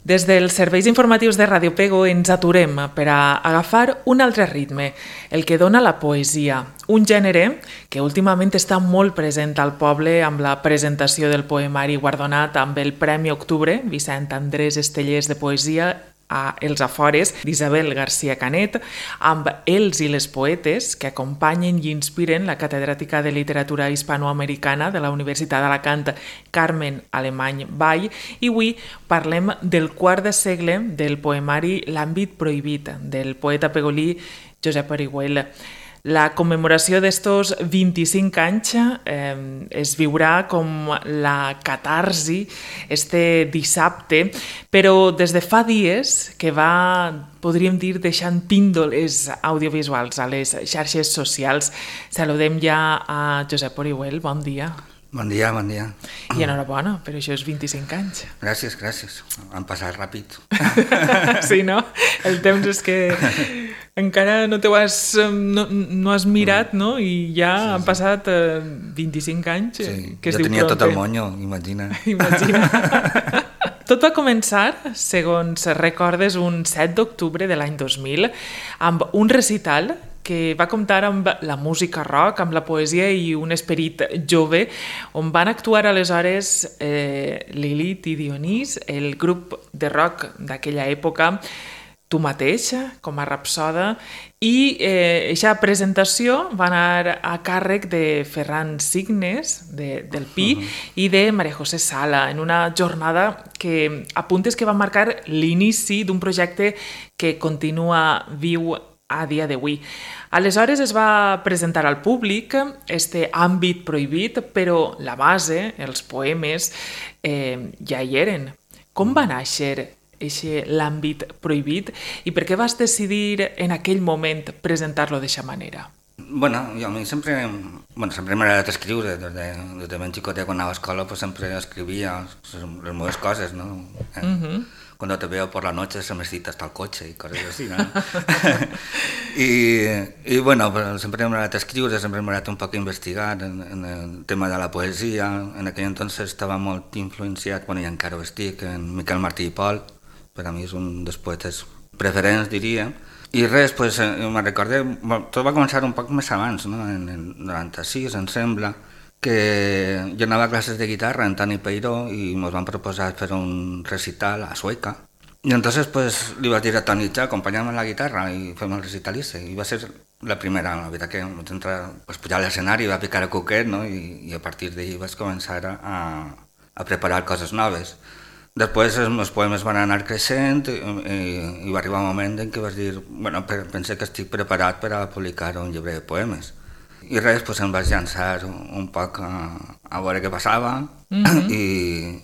Des dels serveis informatius de Ràdio Pego ens aturem per a agafar un altre ritme, el que dona la poesia, un gènere que últimament està molt present al poble amb la presentació del poemari guardonat amb el Premi Octubre, Vicent Andrés Estellers de Poesia, a Els Afores, d'Isabel García Canet, amb Els i les poetes, que acompanyen i inspiren la catedràtica de literatura hispanoamericana de la Universitat d'Alacant, Carmen Alemany Vall, i avui parlem del quart de segle del poemari L'àmbit prohibit, del poeta pegolí Josep Orihuel. La commemoració d'estos 25 anys es viurà com la catarsi este dissabte, però des de fa dies que va, podríem dir, deixant píndoles audiovisuals a les xarxes socials. Saludem ja a Josep Orihuel, bon dia. Bon dia, bon dia. I enhorabona per això és 25 anys. Gràcies, gràcies. Han passat ràpid. Sí, no? El temps és que encara no has mirat, no? I ja han passat 25 anys. Sí, que jo tenia tot el monyo, imagina. Tot va començar, segons recordes, un 7 d'octubre de l'any 2000, amb un recital que va comptar amb la música rock, amb la poesia i un esperit jove, on van actuar aleshores Lilith i Dionís, el grup de rock d'aquella època, tu mateix, com a rapsoda, i aquesta presentació va anar a càrrec de Ferran Signes, del Pi, i de Maria José Sala, en una jornada que apuntes que va marcar l'inici d'un projecte que continua viu a dia d'avui. Aleshores es va presentar al públic este àmbit prohibit, però la base, els poemes, ja hi eren. Com va néixer l'àmbit prohibit i per què vas decidir en aquell moment presentar-lo d'aquesta manera? Bueno, jo a mi sempre m'ha agradat escriure, des de ben xicotet quan anava a escola pues sempre escrivia les meves coses, no? Cuando te veo por la noche se me cita hasta el coche y cosas así, ¿no? y bueno, siempre me ha agradat escriure, sempre m'ha agradat un poc investigar en el tema de la poesia. En aquell entonces estava molt influenciat, bueno, i encara ho estic, en Miquel Martí i Pol, per a mi és un dels poetes preferents, diria. I res, pues, me'n recordé, tot va començar un poc més abans, no? En el 96, em sembla, que jo anava a classes de guitarra en Tani Peiró i ens van proposar fer un recital a Sueca. I entonces pues, li vaig dir a Toni, acompanya'm en la guitarra i fem el recital i va ser la primera, la veritat que vaig entrar, pues, pujar a l'escenari, va picar a coquet, no? I a partir d'ahir vaig començar a preparar coses noves. Després els meus poemes van anar creixent i va arribar un moment en què vaig dir, bueno, penso que estic preparat per a publicar un llibre de poemes. I res, pues, em vaig llançar un poc a veure què passava i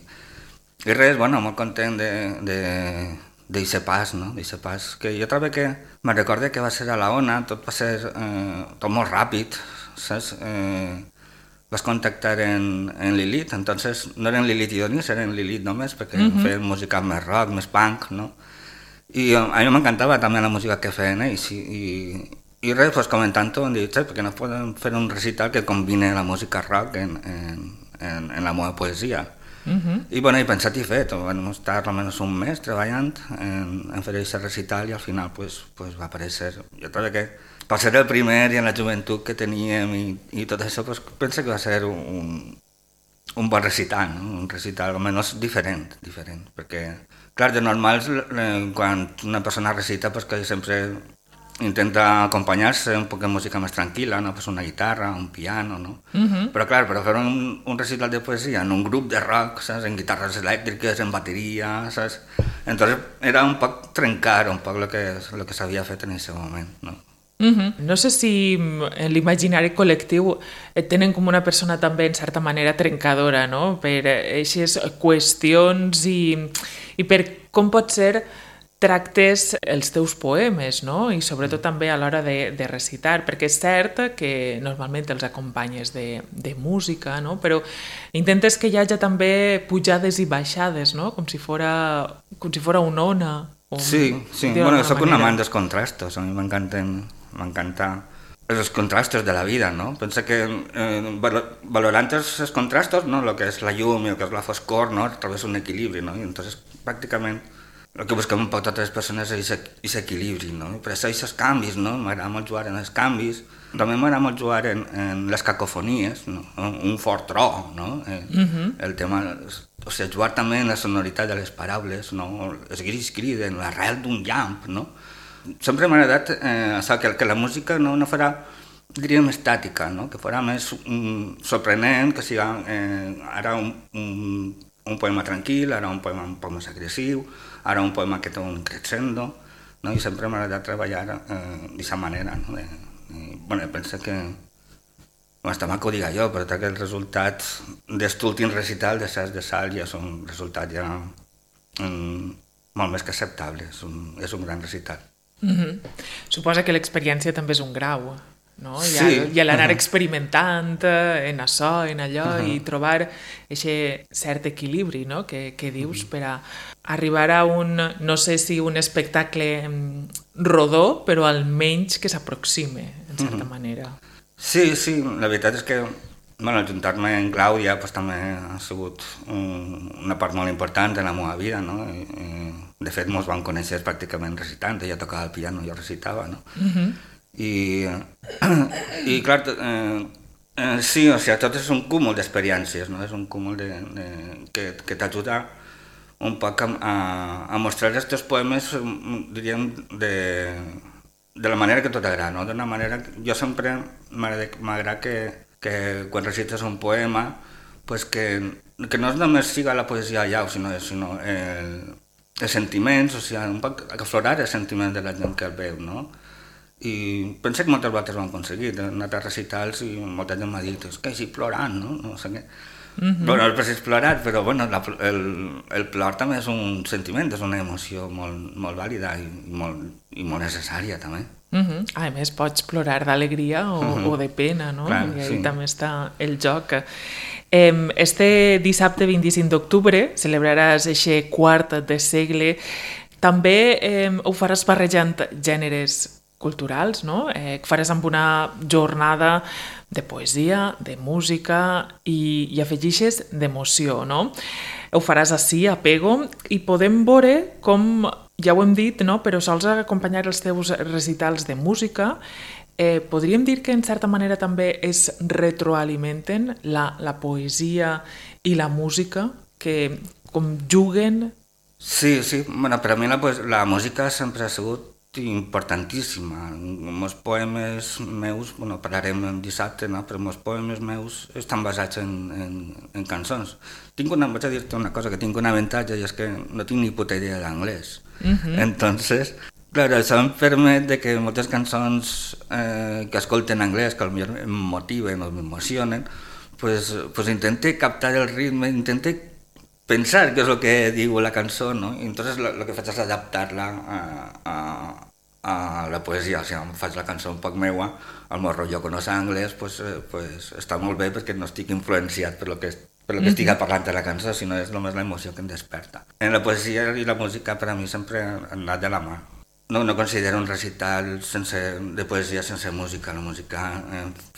res, bueno, molt content d'eixe pas, no? D'eixe pas, que jo trobo que me'n recorde que va ser a la Ona, tot va ser tot molt ràpid, saps? Vas contactar en Lilith, entonces no eren Lilith i Dionís, eren Lilith només, perquè feien música més rock, més punk, no? I a mi m'encantava també la música que feien ells i res, pues, comentant-ho, em dic, perquè no podem fer un recital que combine la música rock en la meva poesia. I bueno, he pensat i fet, vam estar almenys un mes treballant en fer aquest recital i al final pues, va aparèixer. Jo trobo que per ser el primer i en la joventut que teníem i tot això, pues, penso que va ser un bon recital, no? Un recital almenys diferent, perquè, clar, de normal, quan una persona recita, pues, que sempre intenta acompanyar-se un poc de música més tranquil·la, no? Pues una guitarra, un piano, no? Però clar, per fer un recital de poesia en un grup de rock, saps? En guitarres elèctriques, en bateria, saps? Entonces era un poc trencar un poc el que s'havia fet en aquest moment, no? No sé si en l'imaginari col·lectiu et tenen com una persona també en certa manera trencadora, no? Per aquestes qüestions i per com pot ser tractes els teus poemes, no? I sobretot també a l'hora de recitar, perquè és cert que normalment els acompanyes de música, no? Però intentes que hi hagi també pujades i baixades, no? Com si fora una ona. Sí, bueno, soc un amant dels contrastos, a mi m'encanta els contrastos de la vida, no? Penso que valorant els contrastos, no? El que és la llum i el que és la foscor, no? Trobes un equilibri, no? I entonces pràcticament el que busquem un poc totes les persones és aquest equilibri, no? Per això aquests canvis, no? M'agrada molt jugar en els canvis, també m'agrada molt jugar en les cacofonies, no? Un fort tro, no? El tema, o sigui, jugar també en la sonoritat de les paraules, no? Els gris criden, l'arrel d'un llamp, no? Sempre m'ha agradat això, que la música no farà, diríem, estàtica, no? Que farà més sorprenent, que sigui ara un poema tranquil, ara un poema un poc més agressiu, ara un poema que té un crescendo, no? I sempre m'ha agradat treballar d'aquesta manera, no? Bueno, penso que està mal que ho diga jo, però que els resultats d'aquest últim recital de Sas de Sal ja són resultats ja molt més que acceptables, és un gran recital. Suposa que l'experiència també és un grau, no? Sí. I l'anar experimentant en això, en allò, i trobar aquest cert equilibri, no? que dius per a arribar a no sé si un espectacle rodó, però almenys que s'aproxime, en certa manera. Sí, la veritat és que ajuntar-me amb Clàudia pues, també ha sigut una part molt important de la meva vida, no? De fet, ens vam conèixer pràcticament recitant, ella tocava el piano i jo recitava, no? I clar, sí, o sigui, tot és un cúmul d'experiències, no? És un cúmul que t'ajuda un poc a mostrar els teus poemes, diríem, de la manera que tot agrada, no? D'una manera, jo sempre m'agrada que quan recites un poema, pues que no només siga la poesia allà, sinó els sentiments, o sigui, un poc aflorar els sentiments de la gent que el veu, no? I penso que moltes vegades ho hem aconseguit, he anat a recitals i molta gent m'ha dit, és que així plorant, no? No sé què. Bueno, no és precís plorar, però bueno, el plor també és un sentiment, és una emoció molt vàlida i molt necessària també. A més, pots plorar d'alegria o de pena, no? Clar, I ahí sí. també està el joc. Este dissabte 25 d'octubre celebraràs aquest quart de segle. També ho faràs barrejant gèneres culturals, no? Faràs amb una jornada de poesia, de música i afegixes d'emoció, no? Ho faràs ací, a Pego, i podem veure com, ja ho hem dit, no? Però sols acompanyar els teus recitals de música, podríem dir que en certa manera també es retroalimenten la poesia i la música, que com juguen. Sí, bueno, per a mi la música sempre ha sigut importantíssima. Els poemes meus, bueno, parlarem dissabte, no? Però els poemes meus estan basats en cançons. Vaig a dir-te una cosa, que tinc un avantatge i és que no tinc ni puta idea d'anglès. Entonces, claro, això em permet de que moltes cançons que escolten en anglès, que potser em motiven o m'emocionen, pues intente captar el ritme, intente pensar què és el que diu la cançó, no? I entonces lo que faig és adaptar-la a la poesia, o sigui, faig la cançó un poc meua, al meu rotllo que no sé anglès, pues està molt bé perquè no estic influenciat per lo que estic parlant de la cançó, sinó és només l'emoció que em desperta. En la poesia i la música per a mi sempre han anat de la mà. No considero un recital de poesia sense música. La música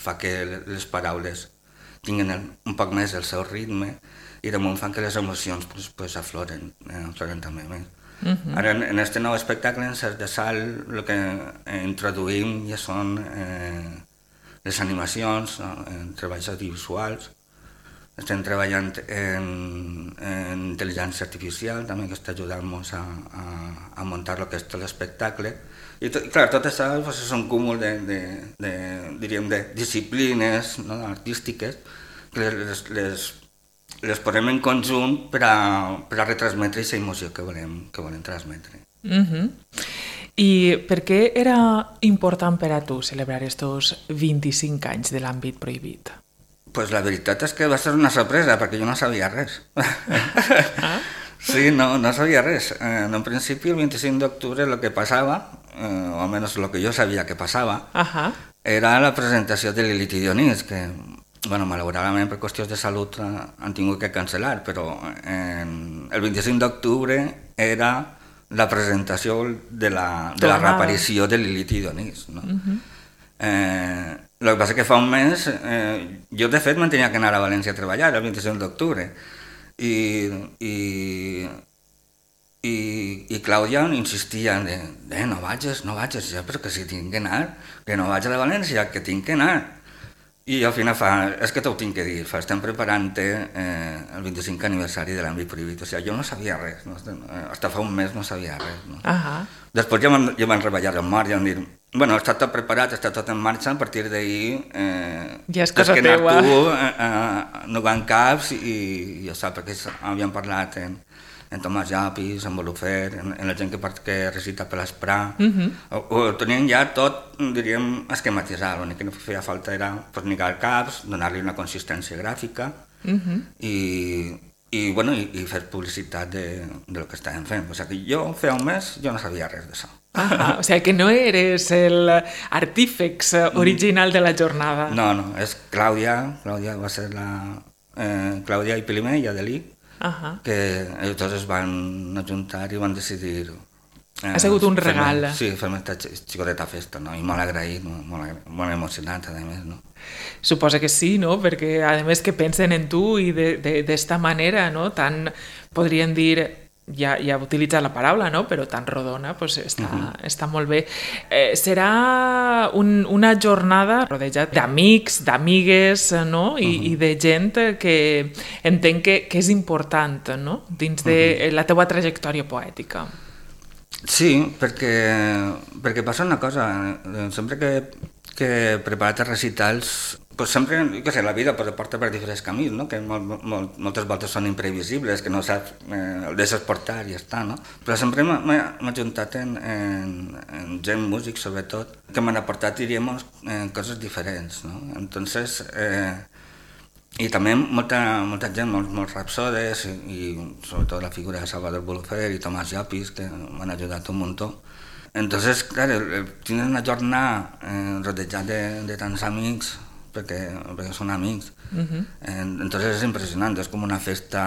fa que les paraules tinguin un poc més el seu ritme i damunt fan que les emocions pues, afloren també més. Ara, en aquest nou espectacle, en Sas de Sal, el que introduïm ja són les animacions, treballs audiovisuals. Estem treballant en intel·ligència artificial, també, que està ajudant-nos a muntar el que és tot l'espectacle. I clar, tot això pues, és un cúmul de disciplines, no, artístiques que les posem en conjunt per a retransmetre aquesta emoció que volem transmetre. I per què era important per a tu celebrar estos 25 anys de l'àmbit prohibit? Pues la veritat és que va ser una sorpresa, perquè jo no sabia res. Sí, no sabia res. En un principi, el 25 d'octubre, el que passava, o almenys el que jo sabia que passava, era la presentació de Lilith i Dionís, que, bueno, malauradament per qüestions de salut han tingut que cancel·lar, però el 25 d'octubre era la presentació de la reaparició de Lilith i Dionís, no? El que passa que fa un mes, jo de fet me'n tenia que anar a València a treballar el 25 d'octubre i i Clàudia insistia no vagis, ja, però que si tinc que anar, que no vaig a la València, que tinc que anar. I al final és que t'ho tinc que dir, estem preparant el 25 aniversari de l'àmbit prohibit, o sigui, jo no sabia res, no? Hasta fa un mes no sabia res. No? Després ja van reballar el mort, ja van dir, bueno, està tot preparat, està tot en marxa, a partir d'ahir ja és cosa teua. No van caps i ja sap, perquè havíem parlat en Tomàs Llapis, en Bolufer, en la gent que recita per l'Esprà. Ho tenien ja tot, diríem, esquematitzat. L'únic que no feia falta era lligar caps, donar-li una consistència gràfica i fer publicitat del que estàvem fent. O sigui, jo feia un mes jo no sabia res d'això. O sigui que no eres l'artífex original de la jornada. No, és Clàudia va ser Clàudia i Pilimer i Adelí, que ells dos es van ajuntar i van decidir... Ha sigut un regal. Sí, fer aquesta xicoteta festa, no? I molt agraït, molt emocionat, a més, no? Suposa que sí, no? Perquè, a més, que pensen en tu i d'esta manera, no? Tan, podríem dir, ja he utilitzat la paraula, no? Però tan rodona, pues està molt bé. Serà una jornada rodejat d'amics, d'amigues, no? I de gent que entenc que és important, no? Dins de la teua trajectòria poètica. Sí, perquè passa una cosa, sempre que he preparat els recitals, pues sempre, que sé, la vida porta per diferents camins, no? Que moltes voltes són imprevisibles, que no saps, el deixes portar i ja està, no? Però sempre m'he ajuntat en gent, músics sobretot, que m'han aportat, diríem, coses diferents, no? Entonces, i també molta gent, molts rapsodes i sobretot la figura de Salvador Bolufer i Tomàs Llapis, que m'han ajudat un muntó. Entonces, claro, tienes una jornada rodejat de tants amics, perquè són amics. Entonces és impressionant, és com una festa,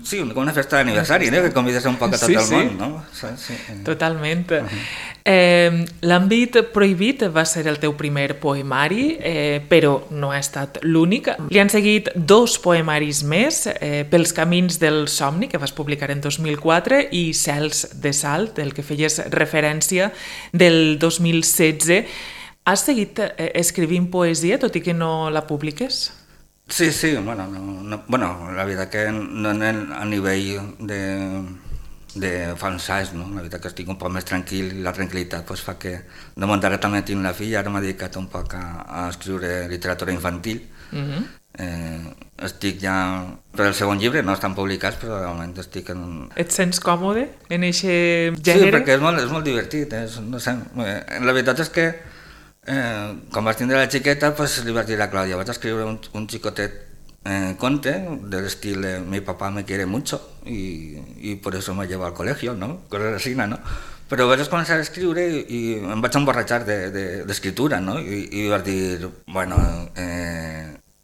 sí, com una festa d'aniversari, que convides un poc a tot el món, no? Sí. Totalment. L'àmbit prohibit va ser el teu primer poemari, però no ha estat l'únic. Li han seguit 2 poemaris més, Pels camins del somni, que vas publicar en 2004, i Cels de salt, del que feies referència, del 2016. Has seguit escrivint poesia, tot i que no la publiques? Sí, bueno, la veritat que no a nivell de fa uns anys, no? La veritat que estic un poc més tranquil i la tranquil·litat pues, fa que de moment ara també tinc la filla, ara m'he dedicat un poc a escriure literatura infantil. Estic ja per el segon llibre, no estan publicats, però de moment estic en... Et sents còmode en aquest gènere? Sí, perquè és molt divertit, no sé, la veritat és que quan vas tindre la xiqueta, pues, li vas dir a Clàudia, vaig escriure un xicotet conte del estil de mi papá me quiere mucho y por eso me lleva al colegio, ¿no? Cosas así, ¿no? Però vaig començar a escriure i em vaig emborratxar d'escriptura, no? I vaig dir, bueno,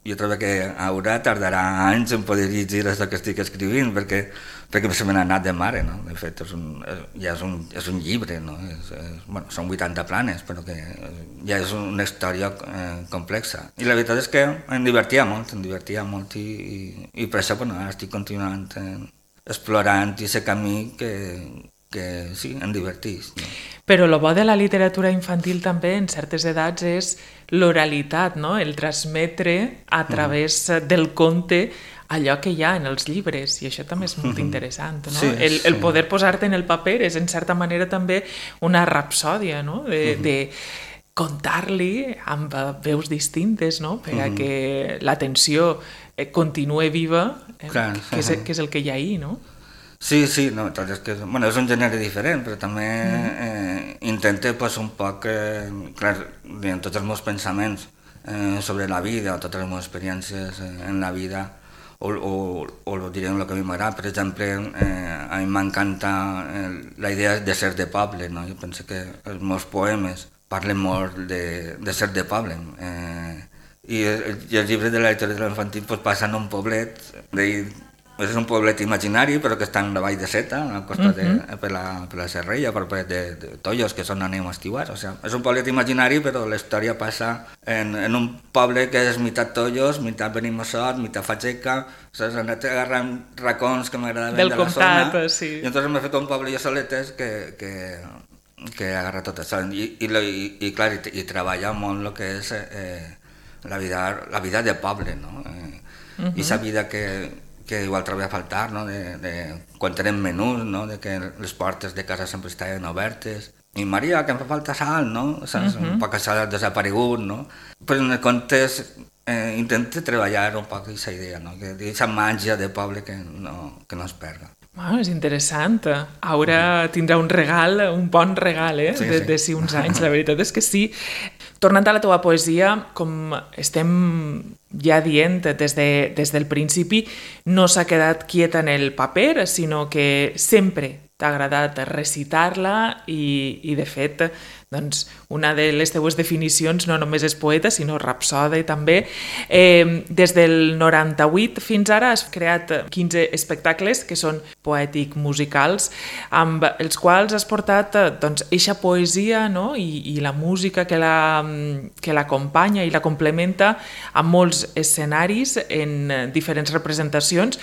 jo trobo que ara tardarà anys en poder llegir això que estic escrivint, perquè se me n'ha anat de mare, no? De fet, és un llibre, no? Bueno, són 80 planes, però que ja és una història complexa. I la veritat és que em divertia molt i per això, bueno, ara estic continuant explorant aquest camí que sí, em divertís. No? Però el bo de la literatura infantil també en certes edats és l'oralitat, no? El transmetre a través del conte allò que hi ha en els llibres, i això també és molt interessant, no? Sí, el poder posar-te en el paper és en certa manera també una rapsòdia, no? De contar-li amb veus distintes, no? Per a que l'atenció continue viva, que és el que hi ha ahí, no? Sí, no, és que és un gènere diferent, però també intento un poc, clar, tots els meus pensaments sobre la vida o totes les meves experiències en la vida o diré el que a mi m'agrada. Per exemple, a mi m'encanta la idea de ser de poble, no? Jo penso que els meus poemes parlen molt de ser de poble. I els llibres de la literatura infantil passen a un poblet és un poblet imaginari, però que està en la vall de Seta, al costat per la Serrella, per de Tollos, que són anem estiuats. O sigui, és un poblet imaginari, però la història passa en un poble que és meitat Tollos, meitat Benimassot, meitat Fageca. O sigui, s'han anat agarrant racons que m'agradaven de la zona. Sí. I entonces m'he fet un poble jo soletes que agarra tot això. I clar, i treballa molt el que és la vida de poble, no? I la vida que igual trobava a faltar, no? Quan tenen menús, no? De que les portes de casa sempre estaven obertes. I Maria, que em fa falta sal, no? Un poc sal ha desaparegut, no? Però en el context intento treballar un poc aquesta idea, no? Aquesta màgia de poble que no es perda. Bueno, és interessant. Ara tindrà un regal, un bon regal, sí. De si uns anys. La veritat és que sí. Tornant a la teva poesia, com estem ja dient des del principi, no s'ha quedat quieta en el paper, sinó que sempre t'ha agradat recitar-la i de fet, doncs, una de les teues definicions no només és poeta, sinó rapsode també. Des del 98 fins ara has creat 15 espectacles que són poètic-musicals, amb els quals has portat eixa poesia, no? I la música que l'acompanya i la complementa amb molts escenaris en diferents representacions.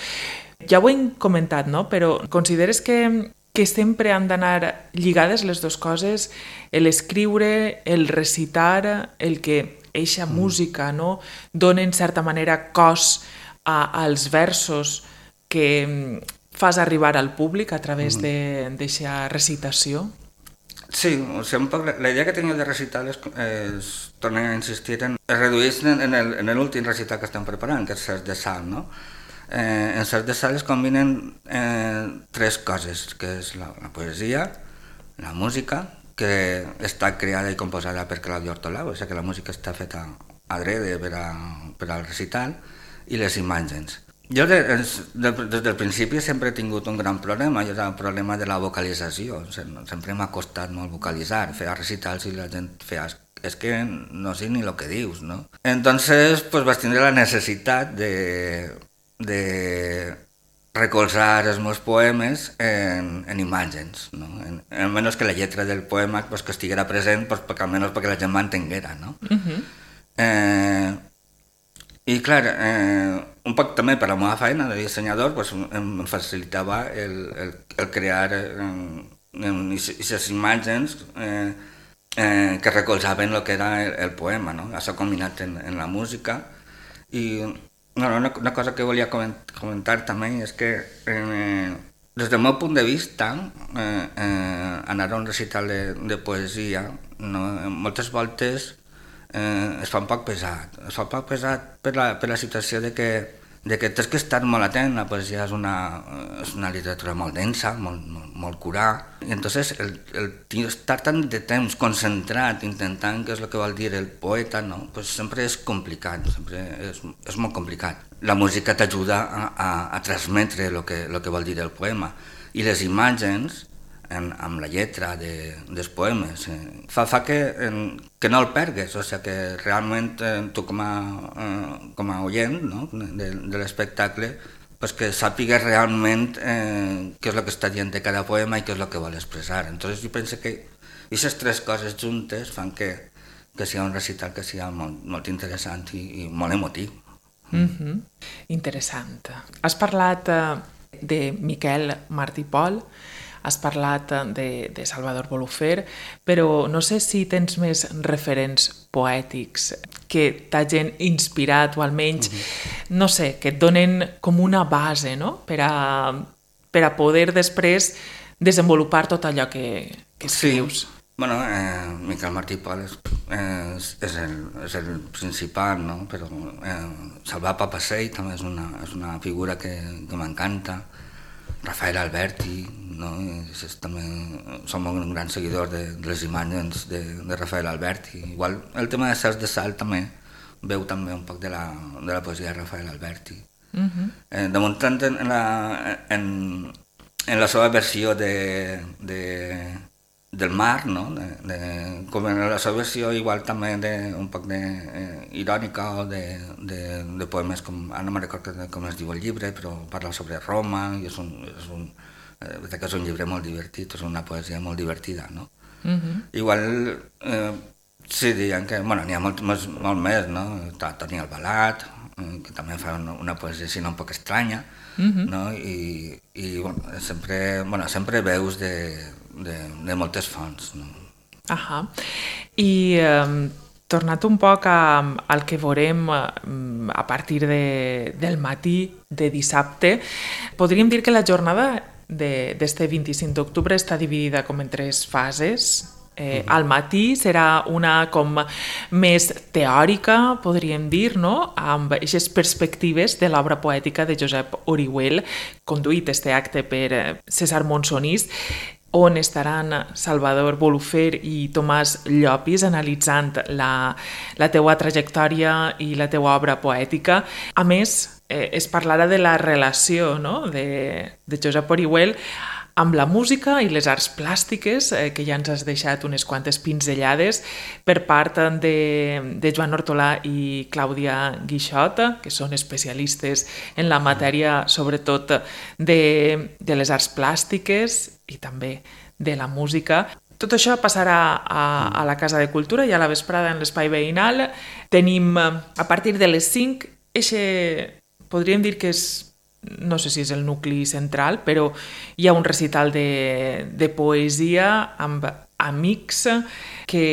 Ja ho hem comentat, no? Però consideres que sempre han d'anar lligades les dues coses, l'escriure, el recitar, el que eixa música, no? Dona en certa manera cos als versos que fas arribar al públic a través d'eixa recitació? Sí, o sigui, un poc la idea que tenia de recitar és tornar a insistir es redueix en l'últim recital que estem preparant, que és Cercs de Sal, no? En Cercs de Sal es combinen tres coses, que és la poesia, la música, que està creada i composada per Claudio Ortolau, o sigui que la música està feta adrede per al recital, i les imatges. Jo des del principi sempre he tingut un gran problema, i és el problema de la vocalització. Sempre m'ha costat molt vocalitzar, fer recitals i la gent feia és que no sé ni el que dius, ¿no? Entonces, pues vaig tindre la necessitat de recolzar els meus poemes en imatges, no? Almenys que la lletra del poema pues, que estiguera present, pues, almenys perquè la gent m'entenguera, no? I clar, un poc també per la meva feina de dissenyador pues, em facilitava el crear aquestes imatges que recolzaven el que era el poema, no? Això combinat en la música. I una cosa que volia comentar també és que des del meu punt de vista anar a un recital de poesia moltes voltes es fa un poc pesat. Es fa un poc pesat per la situació de que tens que estar molt atent. La poesia és una literatura molt densa, molt curada, i entonces el estar tant de temps concentrat intentant què és el que vol dir el poeta, no? Pues sempre és complicat, sempre és molt complicat. La música t'ajuda a transmetre el que vol dir el poema, i les imatges amb la lletra dels poemes fa que no el pergues, o sigui que realment tu com a oient, no? de l'espectacle, pues que sàpigues realment què és el que està dient de cada poema i què és el que vol expressar. Entonces jo penso que aquestes tres coses juntes fan que sigui un recital que sigui molt interessant i molt emotiu. Interessant. Has parlat de Miquel Martí i Pol, has parlat de Salvador Bolufer, però no sé si tens més referents poètics que t'hagin inspirat o almenys, no sé, que et donen com una base, no? Per a poder després desenvolupar tot allò que escrius. Sí. Bueno, Miquel Martí i Pol és el principal, no? Però Salvat Papasseit també és una figura que m'encanta. Rafael Alberti, no? També som un gran seguidor de les imatges de Rafael Alberti. Igual el tema de Cercs de Sal també veu també un poc de la poesia de Rafael Alberti. De muntant en la seva versió de del mar, no? Com en la seva versió igual també un poc irònica o de poemes com, ara no me'n recordo com es diu el llibre, però parla sobre Roma i és un llibre molt divertit, és una poesia molt divertida, no? Igual sí, diuen que n'hi ha molt més, no? Toni Albalat, que també fa una poesia així un poc estranya, no? I sempre veus de moltes fonts, no? I tornat un poc al que veurem a partir del matí de dissabte, podríem dir que la jornada d'este 25 d'octubre està dividida com en 3 fases. Al matí serà una com més teòrica, podríem dir, no? Amb aquestes perspectives de l'obra poètica de Josep Orihuel, conduït este acte per César Monsonís, on estaran Salvador Bolufer i Tomàs Llopis analitzant la teua trajectòria i la teua obra poètica. A més, es parlarà de la relació, no? de Josep Orihuel amb la música i les arts plàstiques, que ja ens has deixat unes quantes pinzellades per part de Joan Hortolà i Clàudia Guixot, que són especialistes en la matèria, sobretot de les arts plàstiques i també de la música. Tot això passarà a la Casa de Cultura i a la vesprada en l'espai veïnal. Tenim, a partir de les 5, podríem dir que és, no sé si és el nucli central, però hi ha un recital de poesia amb amics que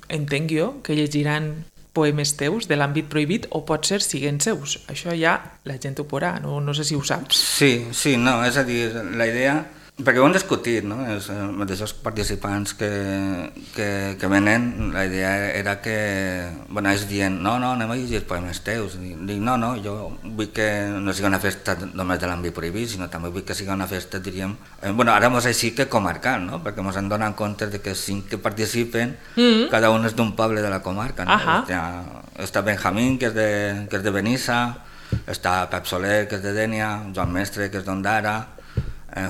entenc jo que llegiran poemes teus de l'àmbit prohibit o potser siguen seus. Això ja la gent ho veurà, no sé si ho saps. Sí, no, és a dir, la idea, perquè ho hem discutit, no? Els mateixos participants que venen, la idea era que, ells dient, no, anem a llegir poemes teus. Dic, no, jo vull que no sigui una festa només de l'àmbit prohibit, sinó també vull que sigui una festa, diríem, ara mos així que comarcal, no? Perquè mos hem donat compte de que 5 que participen, cada un és d'un poble de la comarca, no? Està Benjamín, que és de Benissa, està Pep Soler, que és de Dénia, Joan Mestre, que és d'Ondara,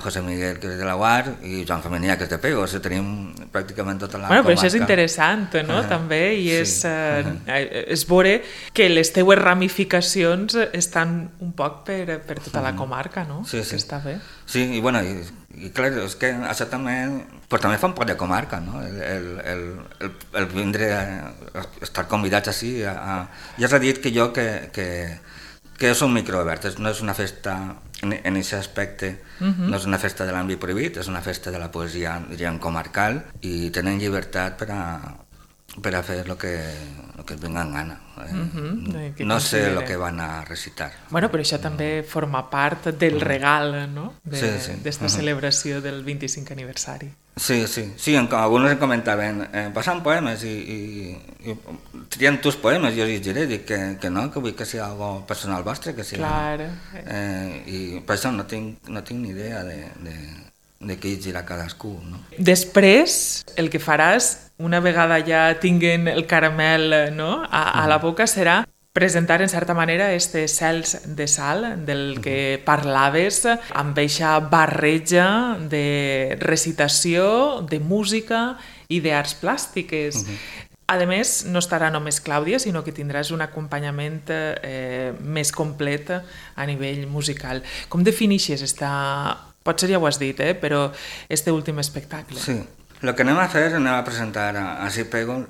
José Miguel, que és de la UAR, i Joan Femenia, que és de Pego. Tenim pràcticament tota la comarca. Però això és interessant, no? També, i és veure que les teues ramificacions estan un poc per tota la comarca, no? Sí. Està bé. Sí, i clar, és que això també fa un poc de comarca, no? El vindre a estar convidats així. Ja s'ha dit que és un microobert, no és una festa en aquest aspecte, no és una festa de l'àmbit prohibit, és una festa de la poesia, diríem, comarcal, i tenen llibertat per a fer el que es venga en gana. No sé el que van a recitar. Però això també forma part del regal, no? D'esta celebració del 25 aniversari. Sí, alguns em comentaven, passen poemes i trien tus poemes, jo els diré, dic que no, que vull que sigui algo personal vostre, que sigui... Clar. I per això no tinc ni idea de què llegirà cadascú, no? Després, el que faràs, una vegada ja tinguen el caramel, no, a la boca, serà presentar en certa manera este Cels de Sal del que parlaves, amb eixa barreja de recitació, de música i d'arts plàstiques. A més, no estarà només Clàudia, sinó que tindràs un acompanyament més complet a nivell musical. Com definixes potser ja ho has dit, però este últim espectacle? Sí. El que anem a fer, anem a presentar a Pego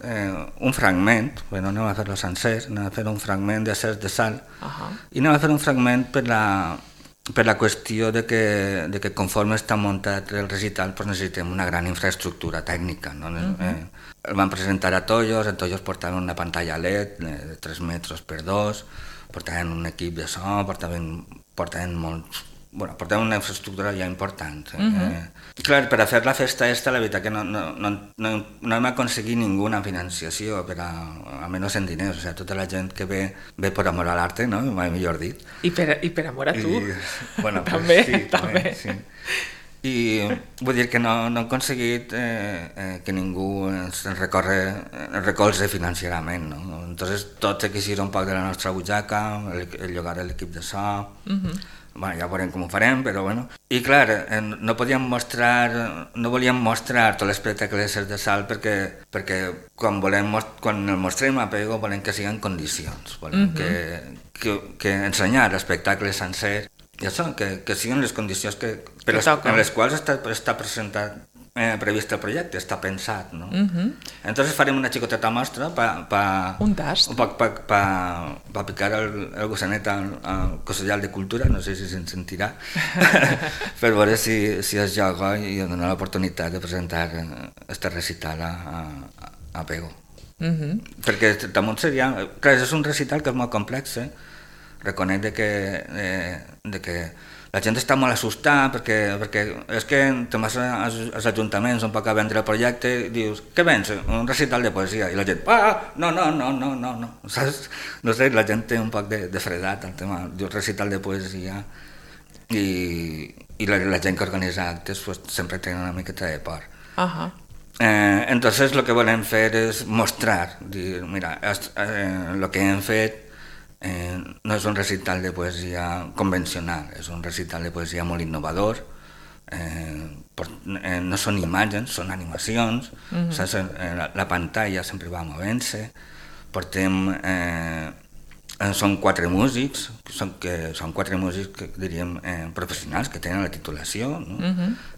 un fragment, no anem a fer-lo sencer, anem a fer un fragment de Cels de Sal, i anem a fer un fragment per la qüestió de que conforme està muntat el recital necessitem una gran infraestructura tècnica. El van presentar a Tollos, en Tollos portaven una pantalla LED de 3 metres per 2, portaven un equip de so, portaven una infraestructura ja important. Clar, per a fer la festa la veritat que no hem aconseguit ninguna financiació, almenys en diners. Tota la gent que ve per amor a l'arte, no? Mai millor dit. I per amor a tu. També. Sí. I vull dir que no hem aconseguit que ningú ens recolze financerament, no? Entonces tot se quisiera un poc de la nostra butxaca, el llogar l'equip de so, Bueno, ja veurem com ho farem, però bueno. I clar, no volíem mostrar tot l'espectacle de Ser de Sal perquè quan el mostrem a Pego volem que siguin condicions, volem que ensenyar l'espectacle sencer i això, que siguin les condicions en les quals està presentat, previst el projecte, està pensat, no? Entonces farem una xicoteta mostra un tast pa picar el gossanet al Consellal de Cultura, no sé si se'n sentirà, per veure si es joga i donar l'oportunitat de presentar este recital a Pego. Perquè damunt seria... Clar, és un recital que és molt complex, reconec que la gent està molt assustada perquè és que te vas als ajuntaments un poc a vendre el projecte i dius, què vens? Un recital de poesia. I la gent, no, saps? No sé, la gent té un poc de fredat al tema, dius recital de poesia i la gent que organitza actes pues, sempre té una miqueta de por. Entonces lo que volem fer és mostrar, dir, mira, el que hem fet no és un recital de poesia convencional, és un recital de poesia molt innovador, no són imatges, són animacions, la pantalla sempre va movent-se, són 4 músics, són 4 músics que diríem professionals que tenen la titulació, no?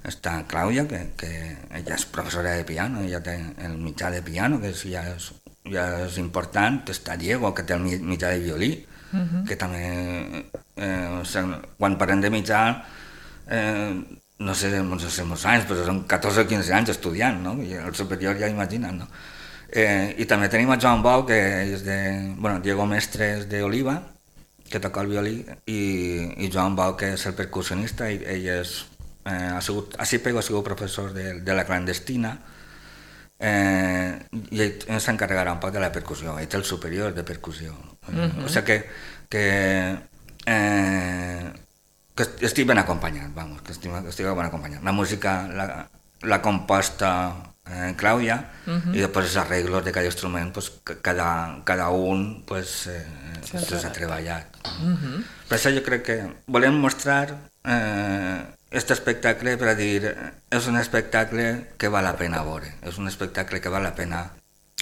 Està Clàudia, que ella és professora de piano, ella té el mitjà de piano, que ja és important, està Diego, que té el mitjà de violí, que també, quan parlem de mitjà, no sé molts anys, però són 14 o 15 anys estudiant, no? I el superior ja imagina't, no? I també tenim a Joan Bou, que és Diego Mestres d'Oliva, que toca el violí, i Joan Bou, que és el percussionista, i ell ha sigut professor de la clandestina, i ell s'encarregarà un poc de la percussió, ell té el superior de percussió. O sigui que estic ben acompanyat, que estic ben acompanyat. La música l'ha composta Clàudia i després els arreglos de cada instrument cada un s'ha treballat. Per això jo crec que volem mostrar aquest espectacle per a dir és un espectacle que val la pena veure, és un espectacle que val la pena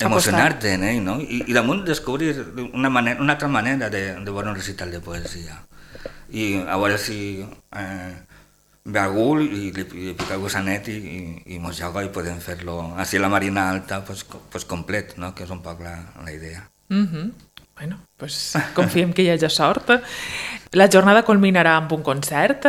emocionar-te en ell, no? I damunt descobrir una altra manera de veure un recital de poesia i a veure si ve algú i li pica el gossanet i mos joga i podem fer-lo així a la Marina Alta complet, no? Que és un poc la idea. Bueno, pues confiem que hi hagi sort. La jornada culminarà amb un concert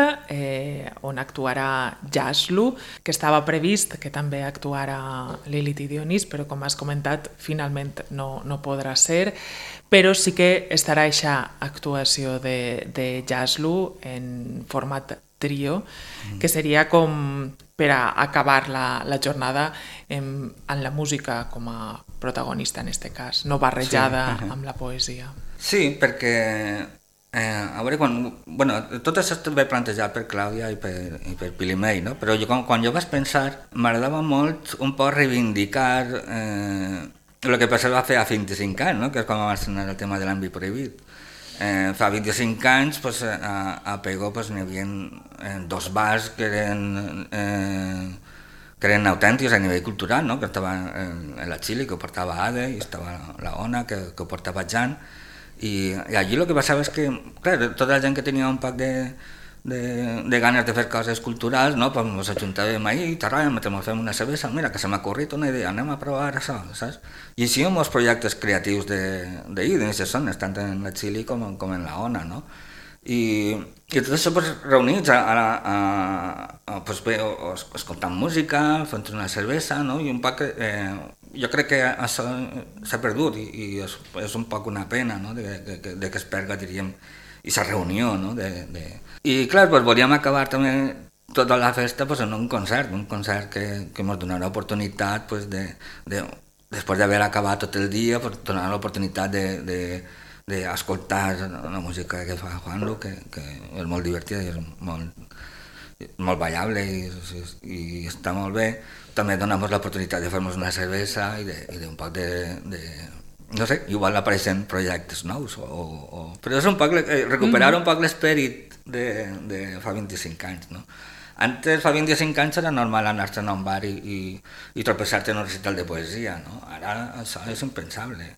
on actuarà Jazzlu, que estava previst que també actuarà Lilith i Dionís, però com has comentat, finalment no podrà ser, però sí que estarà aquesta actuació de Jazzlu en format trio, que seria com per a acabar la jornada amb la música com a protagonista en aquest cas, no barrejada amb la poesia. Sí, perquè a veure, tot això va plantejat per Clàudia i per Pili May, no? Però quan jo vaig pensar, m'agradava molt un poc reivindicar el que va fer a 25 anys, no? Que és quan va estrenar el tema de l'àmbit prohibit. Fa 25 anys a Pego n'hi havia 2 bars que eren autèntics a nivell cultural, no? Que estava la Xili, que ho portava Ade, i estava la Ona, que ho portava Jan, i allí el que passava és que, clar, tota la gent que tenia un poc de ganes de fer coses culturals, no? Pues ens ajuntàvem ahí, fem una cervesa, mira, que se m'ha ocorrit una idea, anem a provar això, saps? I així amb els projectes creatius d'ahir, d'aquestes zones, tant en la Xili com en la Ona, no? I tot això reunits escoltant música, fent una cervesa, no? I un poc jo crec que això s'ha perdut i és un poc una pena, no? De que es perga, diríem, aquesta reunió, no? I clar, volíem acabar també tota la festa en un concert que ens donarà l'oportunitat després d'haver acabat tot el dia, donar l'oportunitat d'escoltar la música que fa Juanlu, que és molt divertida i és molt ballable i està molt bé. També donem l'oportunitat de fer-nos una cervesa i d'un poc no sé, igual apareixen projectes nous, però és un poc recuperar un poc l'esperit de fa 25 anys, no? Antes, fa 25 anys, era normal anar-te a un bar i tropeçar-te en un recital de poesia, no? Ara això és impensable.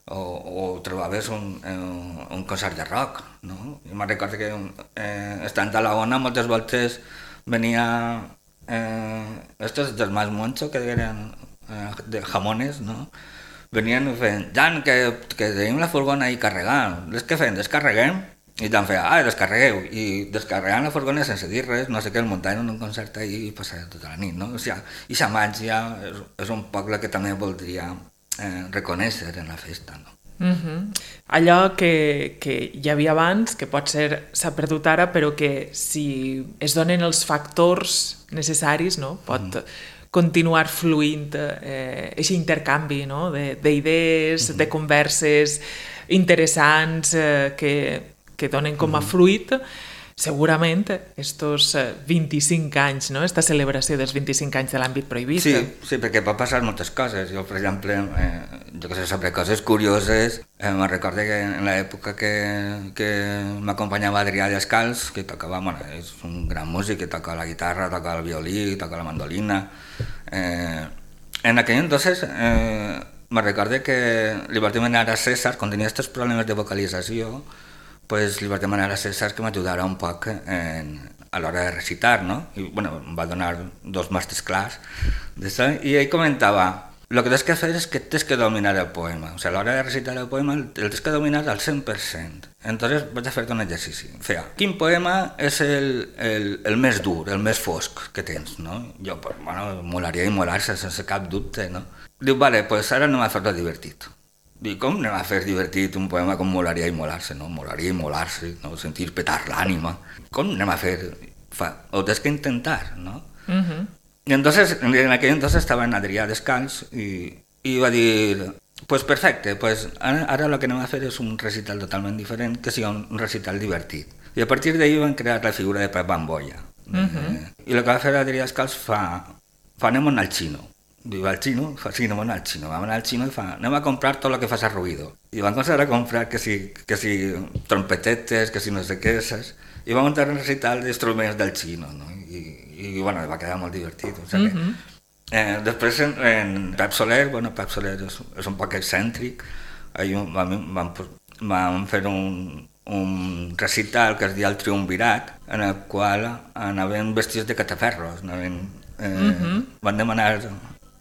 O trobaves un concert de rock, no? Jo me'n recordo que estant a la Ona moltes voltes venia estos del Mas Moncho, que eren de jamones, no? Venien fent, Jan, que tenim la furgona ahí carregant, què fem? Descarreguem? I tant feia, descarregueu, i descarregant la furgona sense dir res, no sé què, el muntaven en un concert i passava tota la nit, no? O sigui, i la màgia és un poble que també voldria reconèixer en la festa, no? Allò que hi havia abans, que potser s'ha perdut ara, però que si es donen els factors necessaris, no? Pot continuar fluint aquest intercanvi, no? D'idees, de converses interessants que donen com a fruit segurament estos 25 anys, no? Esta celebració dels 25 anys de l'àmbit prohibit. Sí, perquè pot passar moltes coses. Jo, per exemple, jo que sé, sobre coses curioses, me'n recordo que en l'època que m'acompanyava Adrià Descalç, que tocava, bueno, és un gran músic, que toca la guitarra, toca el violí, toca la mandolina. En aquell entonces me'n recordo que li vaig demanar a César, quan tenia aquests problemes de vocalització, pues li vaig demanar a César que m'ajudara un poc a l'hora de recitar, no? I, bueno, em va donar 2 masterclass d'això, i ell comentava, lo que tens que fer és que tens que dominar el poema, o sigui, a l'hora de recitar el poema el tens que dominar al 100%. Entonces vaig a fer-te un exercici. Feia, quin poema és el més dur, el més fosc que tens, no? Jo, pues, bueno, molaria i molar-se sense cap dubte, no? Diu, vale, pues ara anem a fer-lo divertit. Dic, com anem a fer divertit un poema com Molaria i molar-se, no? Molaria i molar-se, no? Sentir petar l'ànima. Com anem a fer? Ho tens que intentar, no? I entonces, en aquell entonces estava en Adrià Descalç i va dir, pues perfecte, pues ara el que anem a fer és un recital totalment diferent, que sigui un recital divertit. I a partir d'ahir van crear la figura de Pep Bambolla. I el que va fer Adrià Descalç anem al xino. Diu, al xino? Sí, anem al xino. Vam anar al xino i anem a comprar tot el que faci ruïdo. I van començar a comprar que si trompetetes, que si no sé què, saps? I vam muntar un recital d'instruments del xino, no? I bueno, va quedar molt divertit. O sigui després en Pep Soler, bueno, Pep Soler és un poc excèntric, vam fer un recital que es deia el Triumvirat, en el qual anaven vestits de cataferros, van demanar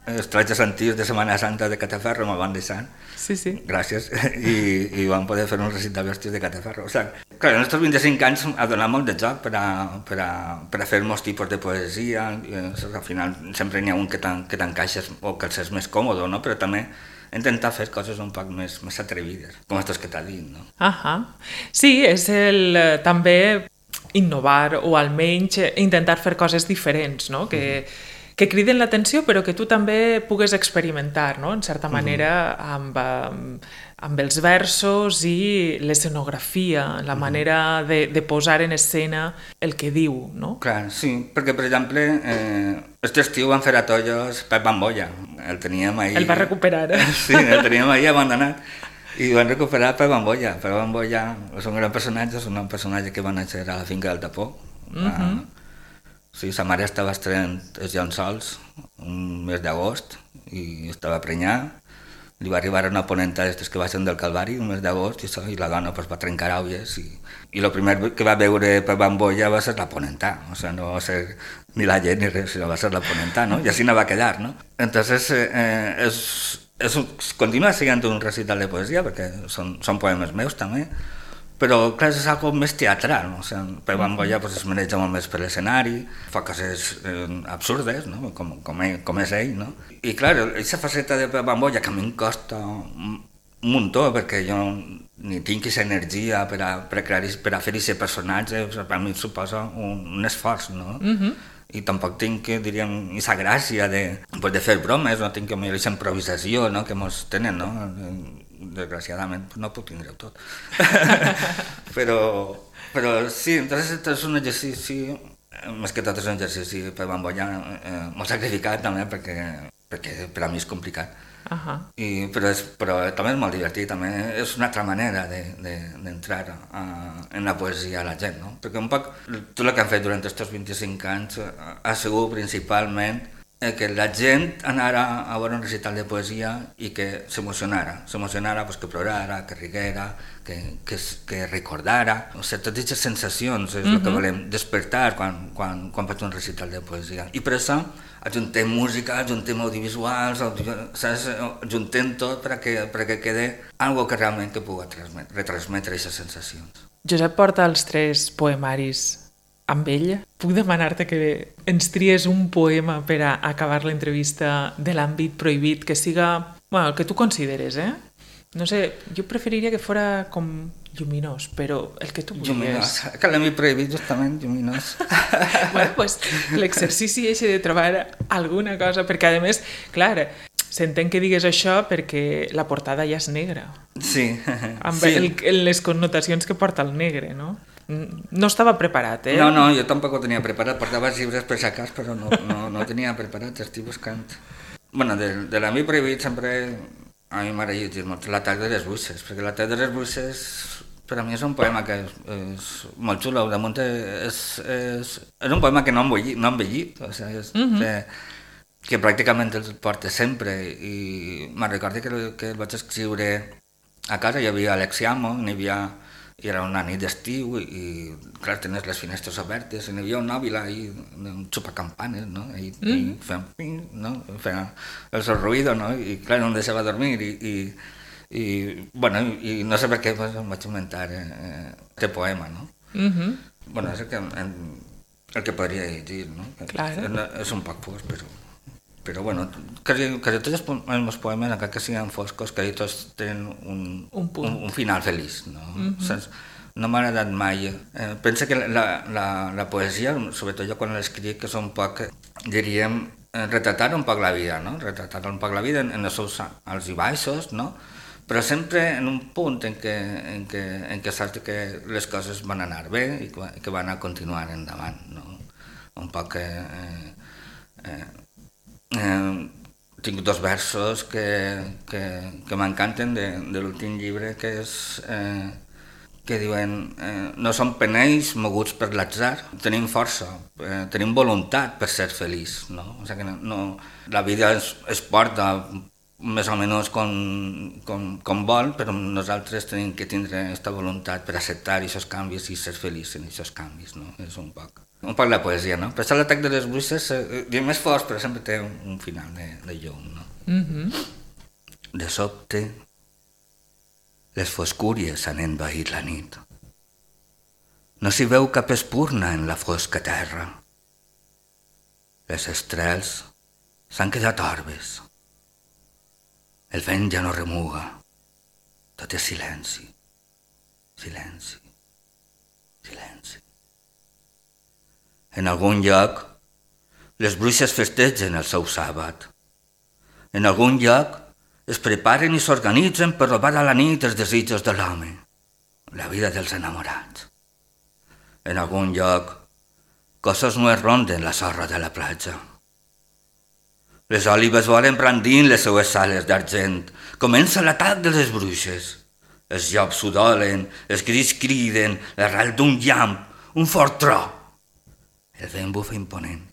els trajes antics de Setmana Santa de Cataferro, me'l van deixar. Sí. Gràcies. I vam poder fer un recital vestits de Cataferro. O sigui, clar, en aquests 25 anys ha donat molt de joc per a fer molts tipus de poesia. Al final sempre n'hi ha un que t'encaixes o que els és més còmode, no? Però també intentar fer coses un poc més atrevides, com aquests que t'ha dit, no? Sí, és també innovar o almenys intentar fer coses diferents, no? Que criden l'atenció però que tu també pugues experimentar, no? En certa manera amb els versos i l'escenografia, la manera de posar en escena el que diu, no? Clar, sí, perquè per exemple aquest estiu van fer a Tollos Pep Bambolla, el teníem ahí... El va recuperar. Sí, el teníem ahí abandonat i van recuperar Pep Bambolla. Pep Bambolla és un gran personatge, és un personatge que va néixer a la finca del Tapó. Sí, sa mare estava estrenant els llençols un mes d'agost i estava prenyada. Li va arribar una ponenta d'aquestes que baixen del Calvari un mes d'agost i la dona va trencar àuies i el primer que va veure Pep Bambolla va ser la ponenta, o sigui, no va ser ni la gent ni res, sinó va ser la ponenta, no? I així no va quedar, no? Entonces, continua sent un recital de poesia perquè són poemes meus també, però clar, és algo més teatral, no? O sigui, Pep Bambolla pues, es maneja molt més per l'escenari, fa coses absurdes, no? Com és ell, no? I clar, aquesta faceta de Pep Bambolla que a mi em costa un muntó, perquè jo ni tinc aquesta energia per a fer aquest personatge, per a mi suposa un esforç, no? I tampoc tinc, diríem, aquesta gràcia de fer bromes, no tinc aquesta improvisació, no? Que mos tenen, no? Desgraciadament no puc tindre tot. però sí, entonces és un exercici, més que tot és un exercici per Bambolla molt sacrificat també, perquè perquè per a mi és complicat. Però també és molt divertit, també és una altra manera d'entrar en la poesia a la gent, no? Perquè un poc tot el que han fet durant aquests 25 anys ha sigut principalment que la gent anara a veure un recital de poesia i que s'emocionara, pues, que plorara, que riguera, que recordara. O sigui, totes aquestes sensacions és el que volem despertar quan faig un recital de poesia. I per això ajuntem música, ajuntem audiovisuals, ajuntem tot perquè quede algo que realment que pugui retransmetre aquestes sensacions. Josep porta els 3 poemaris amb ell. Puc demanar-te que ens tries un poema per a acabar l'entrevista de l'àmbit prohibit, que siga, bueno, el que tu consideres, No sé, jo preferiria que fora com lluminós, però el que tu vulguis. Lluminós, que l'àmbit prohibit justament, lluminós. Bueno, pues l'exercici és de trobar alguna cosa, perquè a més, clar, s'entén que digues això perquè la portada ja és negra. Sí. Amb les connotacions que porta el negre, no? No estava preparat, No, jo tampoc ho tenia preparat, portava els llibres per si acas, però no ho tenia preparat, estic buscant. Bueno, de l'àmbit prohibit sempre a mi m'agrada llegir molt l'atac de les bruixes, perquè l'atac de les bruixes per a mi és un poema que és molt xulo, damunt és un poema que no han vellit, o sigui, que pràcticament el porta sempre, i me'n recordo que el vaig escriure a casa, hi havia Alexiamo, i era una nit d'estiu i clar, tenies les finestres obertes i hi havia un nòbil ahí, un xupacampanes, no? I feien ping, no? Feien el seu ruïdo, no? I clar, no em deixava dormir bueno, i no sé per què pues, em vaig inventar aquest poema, no? Bueno, és el que podria llegir, no? Claro. És un poc fosc, però bueno, quasi tots els meus poemes, encara que siguin foscos, quasi tots tenen un final feliç, no? No m'ha agradat mai. Penso que la poesia, sobretot jo quan l'escric, és un poc, diríem, retratar un poc la vida, no? Retratar un poc la vida en els seus alts i baixos, no? Però sempre en un punt en què saps que les coses van anar bé i que van a continuar endavant, no? Un poc tinc 2 versos que m'encanten de l'últim llibre, que diuen no som penells moguts per l'atzar, tenim força, tenim voluntat per ser feliç, no? O sigui que la vida es porta més o menys com vol, però nosaltres tenim que tindre aquesta voluntat per acceptar aquests canvis i ser feliç en aquests canvis, no? És un poc la poesia, no? Per això l'atac de les bruixes és més fort, però sempre té un final de llum, no? De sobte, les foscúries han envaït la nit. No s'hi veu cap espurna en la fosca terra. Les estrels s'han quedat orbes. El vent ja no remuga. Tot és silenci, silenci, silenci. En algun lloc, les bruixes festegen el seu sàbat. En algun lloc, es preparen i s'organitzen per robar a la nit els desitjos de l'home, la vida dels enamorats. En algun lloc, cossos no es ronden la sorra de la platja. Les òlibes volen brandint les seues sales d'argent. Comença l'atac de les bruixes. Els llops s'udolen, els grills criden, l'arrel d'un llamp, un fort tro. El vent bufa imponent.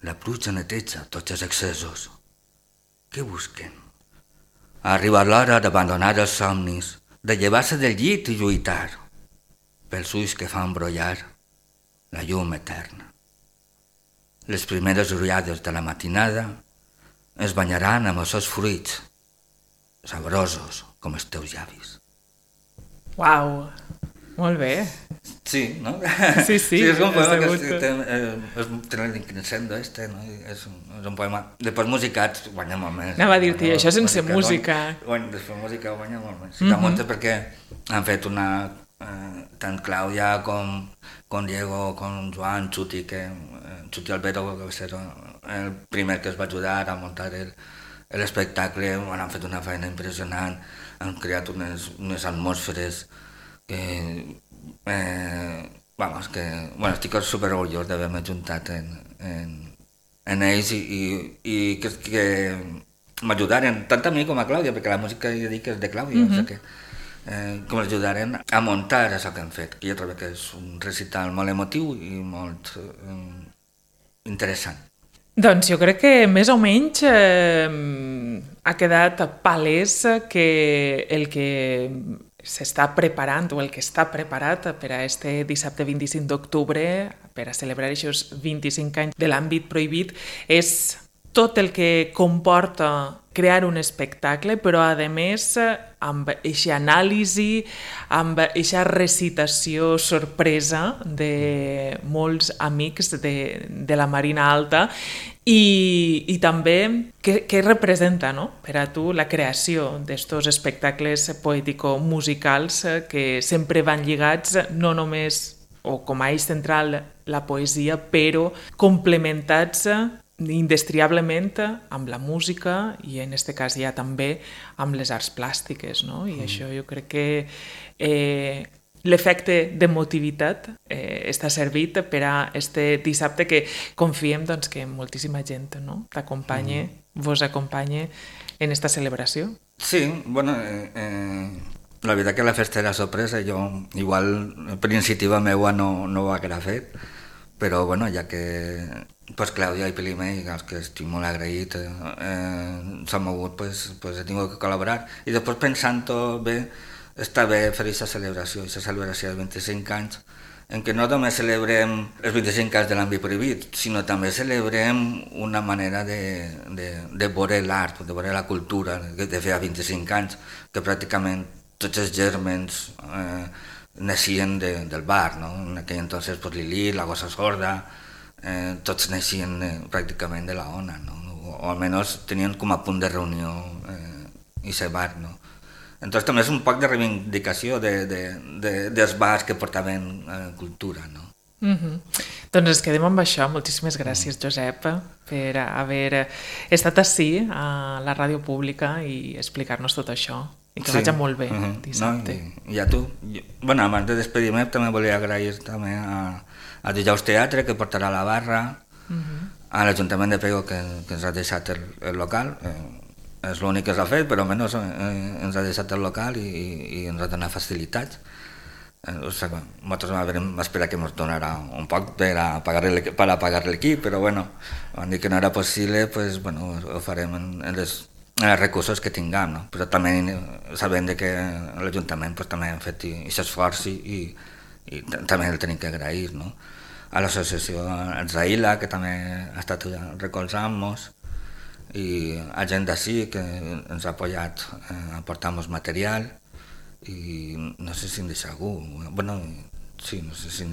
La pluja neteja tots els excessos. Què busquen? Ha arribat l'hora d'abandonar els somnis, de llevar-se del llit i lluitar, pels ulls que fan brollar la llum eterna. Les primeres ullades de la matinada es banyaran amb els seus fruits, saborosos com els teus llavis. Uau, molt bé. Sí, no? Sí, és un poema que té l'increscendo, no? És un poema. Després musicat guanya molt més. Anava a dir-te, això sense música. Després música guanya molt més. Sí, molt perquè han fet una... tant Clàudia com Diego, com Joan, Chuti Albero, que va ser el primer que es va ajudar a muntar l'espectacle, han fet una feina impressionant, han creat unes atmosferes que... estic super orgullós d'haver-me ajuntat en en ells i que m'ajudaren, tant a mi com a Clàudia, perquè la música ja dic que és de Clàudia, o sigui que que m'ajudaren a muntar això que hem fet, que jo trobo que és un recital molt emotiu i molt interessant. Doncs jo crec que més o menys ha quedat palès que el que s'està preparant o el que està preparat per a este dissabte 25 d'octubre per a celebrar aquests 25 anys de l'àmbit prohibit és tot el que comporta crear un espectacle, però a més amb aquesta anàlisi, amb aquesta recitació sorpresa de molts amics de la Marina Alta i també què representa, no? Per a tu la creació d'estos espectacles poètico-musicals que sempre van lligats no només o com a eix central la poesia, però complementats indestriablement amb la música i en aquest cas ja també amb les arts plàstiques, no? I això jo crec que l'efecte d'emotivitat està servit per a este dissabte que confiem doncs, que moltíssima gent no? T'acompanye, vos acompanye en esta celebració. Sí, bueno, la veritat que la festa era sorpresa, jo igual per iniciativa meua no ho haguera fet, però bueno, ja que pues Clàudia i Pilimei, els que estic molt agraït, s'han mogut, pues he tingut que col·laborar. I després pensant-ho bé, està bé fer aquesta celebració dels 25 anys, en què no només celebrem els 25 anys de l'àmbit prohibit, sinó també celebrem una manera de veure l'art, de veure la cultura, de fer 25 anys, que pràcticament tots els gèrmens naixien del bar, no? En aquell entonces pues, Lili, la Gossa Sorda, tots naixien pràcticament de la ONA, no? O almenys tenien com a punt de reunió aquest bar, no? Entonces també és un poc de reivindicació dels bars que portaven cultura, no? Doncs ens quedem amb això. Moltíssimes gràcies, Josep, per haver estat ací a la ràdio pública i explicar-nos tot això. I que vagi molt bé dissabte. No? I a tu. Bueno, abans de despedir-me també volia agrair també a Dijous Teatre, que portarà la barra, a l'Ajuntament de Pego, que ens ha deixat el local, és l'únic que s'ha fet, però almenys ens ha deixat el local i ens ha donat facilitats. Nosaltres vam esperar que ens donarà un poc per a pagar l'equip, però bueno, van dir que no era possible, pues, bueno, ho farem en els recursos que tinguem, no? Però també sabem que l'Ajuntament pues, també ha fet aquest esforç i també el tenim que agrair, no? A l'associació Zaila, que també ha estat recolzant-nos, i a gent d'ací que ens ha apoyat a portar-nos material i no sé si em deixa algú, bueno, sí, no sé si em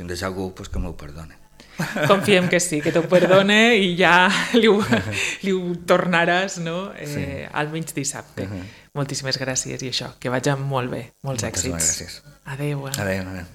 deixa algú, pues que m'ho perdone. Confiem que sí, que t'ho perdone i ja li ho tornaràs, no? Almenys dissabte. Moltíssimes gràcies i això, que vagi molt bé, molts èxits. Moltes gràcies. Adéu. Adéu.